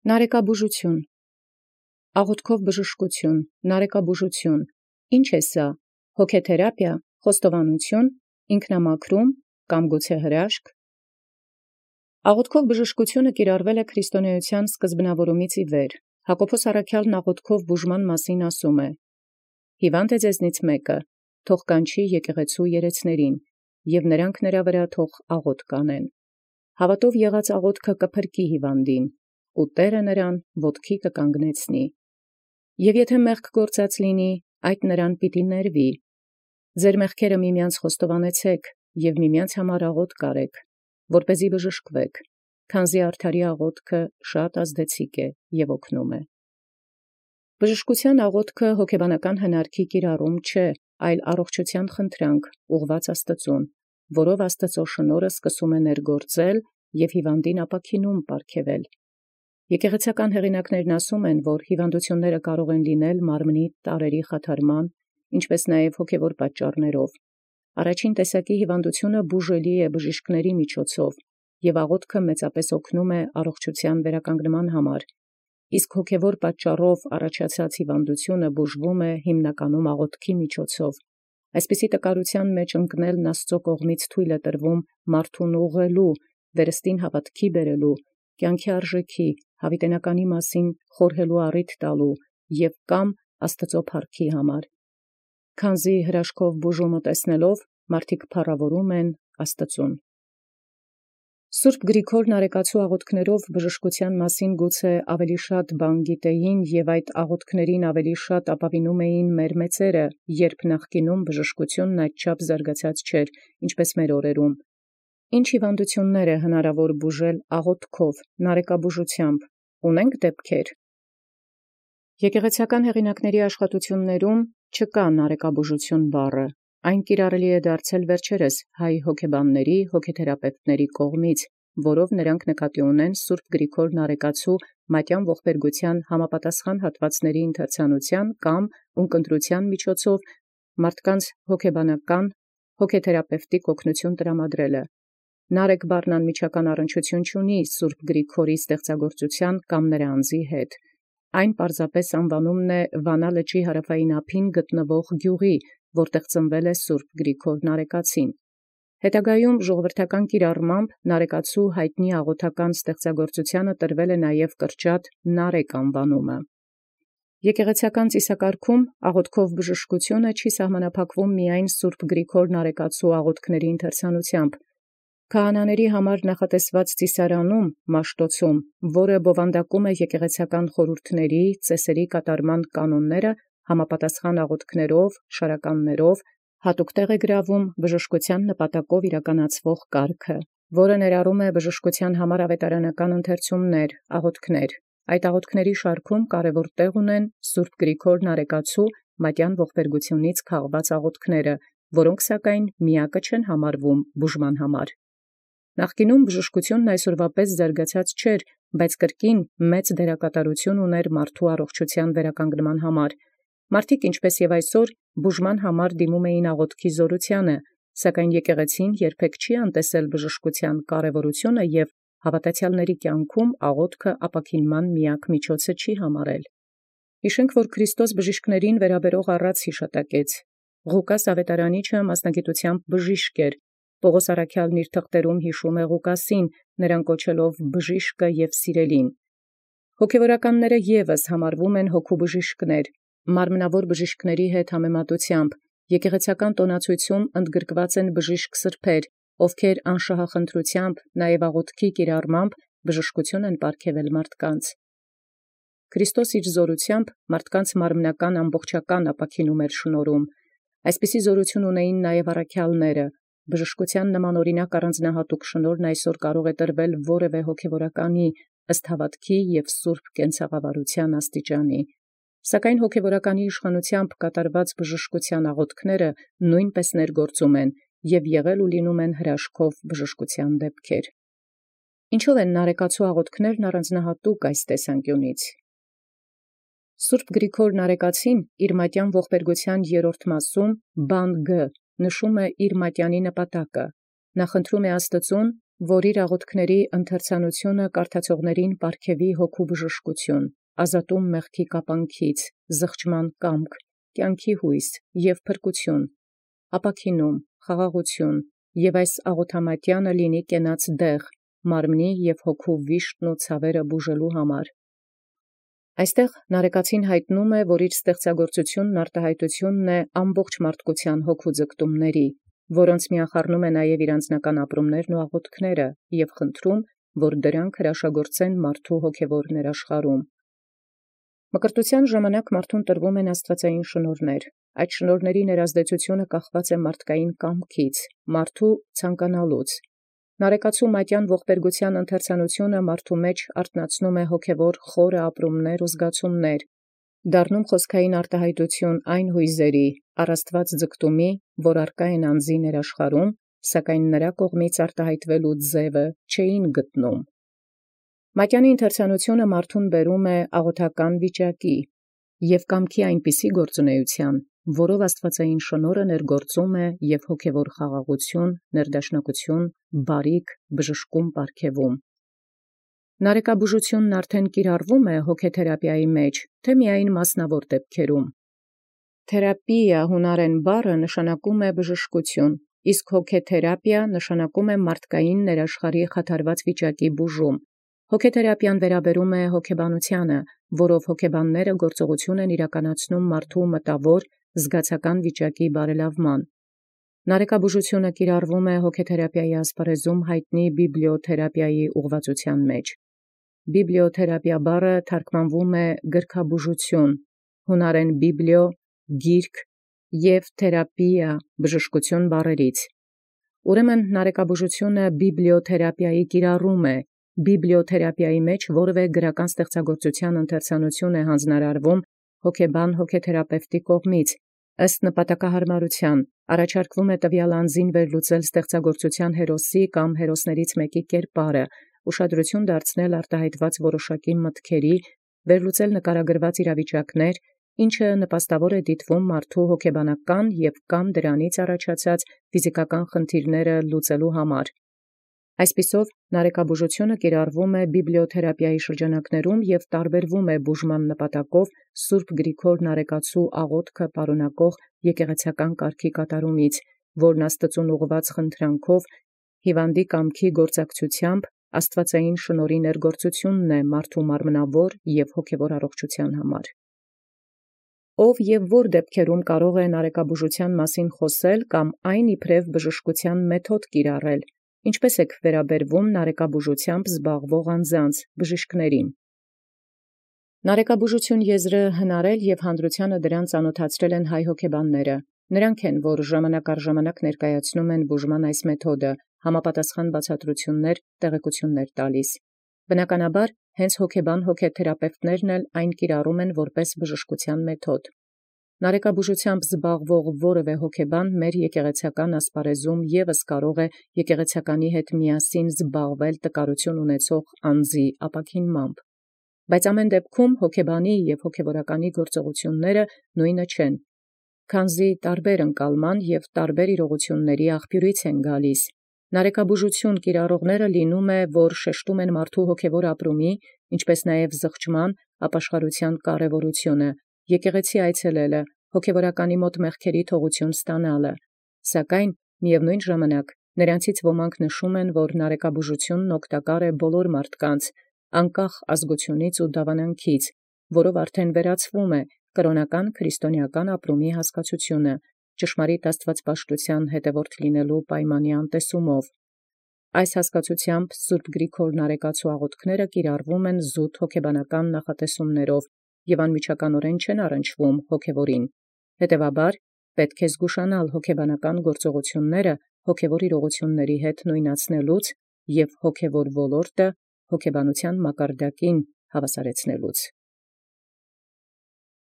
Նարեկաբուժութիւն, աղաւթքով բժշկութիւն, նարեկաբուժութիւն, ի՞նչ է սա, հոգեթերապիա, խոստովանութիւն, ինքնամաքրում կամ գուցե հրաշք։ Աղաւթքով բժշկութիւնը կիրառվել է քրիստոնեության սկզբնաւորումից ի վեր. Յակոբոս առաքեալն աղաւթքով բուժման մասին ասէ. «Հիւանդ է ձեզնից մեկը, թող կանչի եկեղեցու երեցներին, և նրանք նրա վրա թող աղաւթք անեն։ Հաւատով եղած աղաւթքը կփրկի հիւանդին, ու Տէրը նրան ոտքի կկանգնեցնի։ Եւ եթէ մեղք գործած լինի, այդ նրան պիտի ներվի։ Ձեր մեղքերը միմյանց խոստովանեցէք և միմյանց համար աղաւթք արեք, որպեսզի բժշկվեք, քանզի արդարի աղաւթքը շատ ազդեցիկ է և օգնում է»։ Բժշկութեան աղաւթքը հոգեբանական հնարքի կիրառում չէ, այլ առողջութեան խնդրանք ուղղված Աստուծոյ, որով Աստուծոյ շնորհը սկսում է ներգործել և հիւանդին ապաքինում պարգևել։ Եկեղեցական հեղինակներն ասում են, որ հիւանդութիւնները կարող են լինել մարմնի տարրերի խաթարման, ինչպէս նաև հոգևոր պատճառաւք։ Առաջին տեսակի հիւանդութիւնը բուժելի է բժիշկների միջոցով, և աղաւթքը մեծապէս օգնում է առողջութեան վերականգնման համար, իսկ հոգևոր պատճառով առաջացած հիւանդութիւնը բուժվում է հիմնականում աղաւթքի միջոցով։ Այսպիսի տկարութեան մեջ ընկնելն Աստուծոյ կողմից թույլ է տրվում մարդուն ուղղելու, վերստին հաւատքի բերելու, կյանքի արժեքի, յաւիտենականի մասին խորհելու առիթ տալու և կամ Աստուծոյ փառքի համար։ Քանզի հրաշքով բուժումը տեսնելով մարդիկ փառաւորում են Աստուծոյ։ Սուրբ Գրիգոր նարեկացու աղաւթքներով բժշկութեան մասին գուցե ավելի շատ բան գիտեին և այդ աղաւթքներին ավելի շատ ապավինում էին մեր մեծերը, երբ նախկինում բժշկութիւնն այդչափ զարգացած չէր, ինչպէս մեր օրերում։ Ինչ հիւանդութիւններ է հնարաւոր բուժել աղաւթքով, նարեկաբուժութեամբ, ունե՞նք դեպքեր։ Եկեղեցական հեղինակացն աշխատութիւններում չկա նարեկաբուժութիւն բառը, այն կիրառելի է դարձել վերջերս հայ հոգեբանների, հոգեթերապևտների կողմից, որով նրանք նկատի ունեն Սուրբ Գրիգոր նարեկացու մատյան ողբերգութեան համապատասխան հատվածների ընթերցանութեան կամ ունկնդրութեան միջոցով մարդկանց հոգեբանական, հոգեթերապևտիկ օգնութիւն տրամադրելը։ Նարեկ բառն անմիջական առնչութիւն չունի Սուրբ Գրիգորի ստեղծագործութեան կամ նրա անձի հետ։ Այն պարզապես անվանումն է Վանա լճի հարավային ափին գտնվող գիւղի, որտեղ ծնվել է Սուրբ Գրիգոր նարեկացին։ Հետագայում ժողովրդական կիրառմամբ նարեկացու յայտնի աղոթական ստեղծագործութեանը տրվել է նաև կրճատ նարեկ անվանումը։ Եկեղեցական ծիսակարգում աղաւթքով բժշկութիւնը չի սահմանափակվում միայն Սուրբ Գրիգոր նարեկացու աղաւթքների ընթերցանութեամբ։ Քահանաների համար նախատեսված ծիսարանում Մաշտոցում, որը բովանդակում է եկեղեցական խորհուրդների, ծեսերի կատարման կանոնները, համապատասխան աղաւթքներով, շարականներով, հատուկ տեղ է գրավում բժշկութեան նպատակով իրականացվող կարգը, որը ներառում է բժշկութեան համար աւետարանական ընթերցումներ, աղաւթքներ։ Այդ աղաւթքների շարքում կարևոր տեղ ունեն Սուրբ Գրիգոր նարեկացու մատյան ողբերգութիւնից քաղված աղաւթքները, որոնք սակայն միակը չեն համարվում բուժման համար։ Նախկինում բժշկութիւնն այսօրվա պես զարգացած չէր, բայց կրկին մեծ դերակատարութիւն ուներ մարդու առողջութեան վերականգնման համար։ Մարդիկ ինչպէս եւ այսօր բուժման համար դիմում էին աղաւթքի զորութեանը, սակայն եկեղեցին երբեք չի անտեսել բժշկութեան կարևորութիւնը և հաւատացեալների կյանքում աղաւթքը ապաքինման միակ միջոցը չի համարել։ Յիշենք, որ Քրիստոս բժիշկներին վերաբերող առած յիշատակեց։ Ղուկաս աւետարանիչը մասնագիտութեամբ բժիշկ էր։ Պողոս առաքեալն իր թղթերում յիշում է Ղուկասին, նրան կոչելով բժիշկը և սիրելին։ Հոգևորականները եւս համարվում են հոգու բժիշկներ, մարմնավոր բժիշկների հետ համեմատութեամբ։ Եկեղեցական տոնացույցում ընդգրկված են բժիշկ սրբեր, ովքեր անշահախնդրութեամբ, նաև աղաւթքի կիրառմամբ բժշկութիւն են պարգևել մարդկանց։ Քրիստոս իր զորութեամբ մարդկանց մարմնական ամբողջական ապաքինում էր շնորհում։ Այսպիսի զորութիւն ունեին նաև առաքեալները։ Բժշկութեան նման օրինակ առանձնահատուկ շնորհն այսօր կարող է տրվել որևէ հոգևորականի ըստ հաւատքի և սուրբ կենցաղավարութեան աստիճանի։ Սակայն հոգևորականի իշխանութեամբ կատարված բժշկութեան աղաւթքները նույնպես ներգործում են և եղել ու լինում են հրաշքով բժշկութեան դեպքեր։ Ինչո՞վ են նարեկացու աղաւթքներն առանձնահատուկ այս տեսանկիունից։ Սուրբ Գրիգոր նարեկացին իր մատյան ողբերգութեան 3-րդ մասում բան Գ նշում է իր մատյանի նպատակը։ Նա խնդրում է Աստուծուն որ իր աղաւթքների ընթերցանութիւնը կարդացողներին պարգևի հոգու բժշկութիւն, ազատում մեղքի կապանքից, զղջման կամք, կյանքի յույս և փրկութիւն, ապաքինում, խաղաղութիւն, և այս աղոթամատեանը լինի կենաց դեղ, մարմնի և հոգու վիշտն ու ցավերը բուժելոյ համար։ Այստեղ Նարեկացին յայտնում է, որ իր ստեղծագործութիւնն արտահայտութիւնն է ամբողջ մարդկութեան հոգու ձգտումների, որոնց միան խառնում է նաև իր անձնական ապրումներն ու աղոթքները, և խնդրում, որ դրանք հրաշագործեն մարդու հոգևոր ներաշխարհում։ Մկրտութեան ժամանակ մարդուն տրվում են աստուածային շնորհներ, այդ շնորհների ներազդեցութիւնը կախված է մարդկային կամքից, մարդու ցանկանալուց։ Նարեկացու մատեան ողբերգութեան ընթերցանութիւնը մարդու մեջ արթնացնում է հոգևոր խորը ապրումներ ու զգացումներ, դառնում խոսքային արտահայտութիւն այն յույզերի, առ Աստուած ձգտումի, որ արկա են անձի ներաշխարհում, սակայն նրա կողմից արտահայտվելու ձևը չէին գտնում։ Մատեանի ընթերցանութիւնը մարդուն բերում է աղոթական վիճակի և կամքի այնպիսի գործունեութեան, որով աստուածային շնորհը ներգործում է և հոգևոր խաղաղութիւն, ներդաշնակութիւն, բարիք, բժշկում պարգևում։ Նարեկաբուժութիւնն արդեն կիրառվում է հոգեթերապիայի մեջ, թե միայն մասնավոր դեպքերում։ Թերապիա յունարեն բառը նշանակում է բժշկութիւն, իսկ հոգեթերապիա նշանակում է մարդկային ներաշխարհի խաթարված վիճակի բուժում։ Հոգեթերապիան վերաբերում է հոգեբանութեանը, որով հոգեբանները գործողութիւն են իրականացնում մարդու մտաւոր, զգացական վիճակի բարելաւման։ Նարեկաբուժութիւնը կիրառվում է հոգեթերապիայի ասպարեզում յայտնի բիբլիոթերապիայի ուղղվածութեան մեջ։ Բիբլիոթերապիա բառը թարգմանվում է գրքաբուժութիւն, յունարեն բիբլիո գիրք և թերապիա բժշկութիւն բառերից։ Ուրեմն նարեկաբուժութիւնը բիբլիոթերապիայի կիրառում է, բիբլիոթերապիայի մեջ որևէ գրական ստեղծագործութեան ընթերցանութիւն է հանձնարարվում հոգեբան հոգեթերապևտի կողմից, ըստ նպատակահարմարութեան, առաջարկվում է տվյալ անձին վերլուծել ստեղծագործութեան հերոսի կամ հերոսներից մեկի կերպարը, ուշադրություն դարձնել արտահայտված որոշակի մտքերի, վերլուծել նկարագրված իրավիճակներ, ինչը նպաստավոր է դիտվում մարդու հոգեբանական և կամ դրանից առաջացած ֆիզիկական խնդիրները լուծելոյ համար։ Այսպիսով, նարեկաբուժութիւնը կիրառվում է բիբլիոթերապիայի շրջանակներում և տարբերվում է բուժման նպատակով Սուրբ Գրիգոր Նարեկացու աղոթքը պարունակող եկեղեցական կարգի կատարումից, որն Աստուծուն ուղղված խնդրանքով հիւանդի կամքի գործակցութեամբ աստուածային շնորհի ներգործութիւնն է մարդու մարմնավոր և հոգևոր առողջութեան համար։ Ով և որ դեպքերում կարող է նարեկաբուժութեան մասին խոսել կամ այն իբրև բժշկութեան մեթոդ կիրառել, ինչպէս եք վերաբերվում նարեկաբուժութեամբ զբաղվող անձանց, բժիշկներին։ Նարեկաբուժութիւն եզրը հնարել և հանրութեանը դրան ծանոթացրել են հայ հոգեբանները։ Նրանք են, որ ժամանակ առ ժամանակ ներկայացնում են բուժման այս մեթոդը, համապատասխան բացատրութիւններ, տեղեկութիւններ տալիս։ Բնականաբար, հենց հոգեբան հոգեթերապևտներն էլ այն կիրառում են որպես բժշկութեան մեթոդ։ Նարեկաբուժութեամբ զբաղվող որևէ հոգեբան մեր եկեղեցական ասպարեզում ևս կարող է եկեղեցականի հետ միասին զբաղվել տկարութիւն ունեցող անձի ապաքինմամբ։ Բայց ամեն դեպքում հոգեբանի և հոգևորականի գործողությունները նույնը չեն, քանզի տարբեր ընկալման և տարբեր իրողությունների աղբիւրից են գալիս։ Նարեկաբուժութիւն կիրառողները լինում է, որ շեշտում են մարդու հոգևոր ապրումի, ինչպէս նաև զղջման, ապաշխարութեան կարևորութիւնը, եկեղեցի այցելելը, հոգևորականի մոտ մեղքերի թողութիւն ստանալը։ Սակայն միևնույն ժամանակ նրանցից ոմանք նշում են, որ նարեկաբուժութիւնն օգտակար է բոլոր մարդկանց, անկախ ազգությունից ու դավանանքից, որով արդեն վերացվում է կրոնական քրիստոնեական ապրումի հասկացությունը, ճշմարիտ աստուածպաշտութեան հետևորդ լինելու պայմանի անտեսումով։ Այս հասկացութեամբ Սուրբ Գրիգոր Նարեկացու աղոթքները կիրառվում են զուտ հոգեբանական նախատեսումներով և անմիջականորեն չեն առնչվում հոգևորին։ Հետևաբար, պետք է զգուշանալ հոգեբանական գործողությունները հոգևոր իրողությունների հետ նույնացնելուց և հոգևոր ոլորտը հոգեբանութեան մակարդակին հավասարեցնելուց։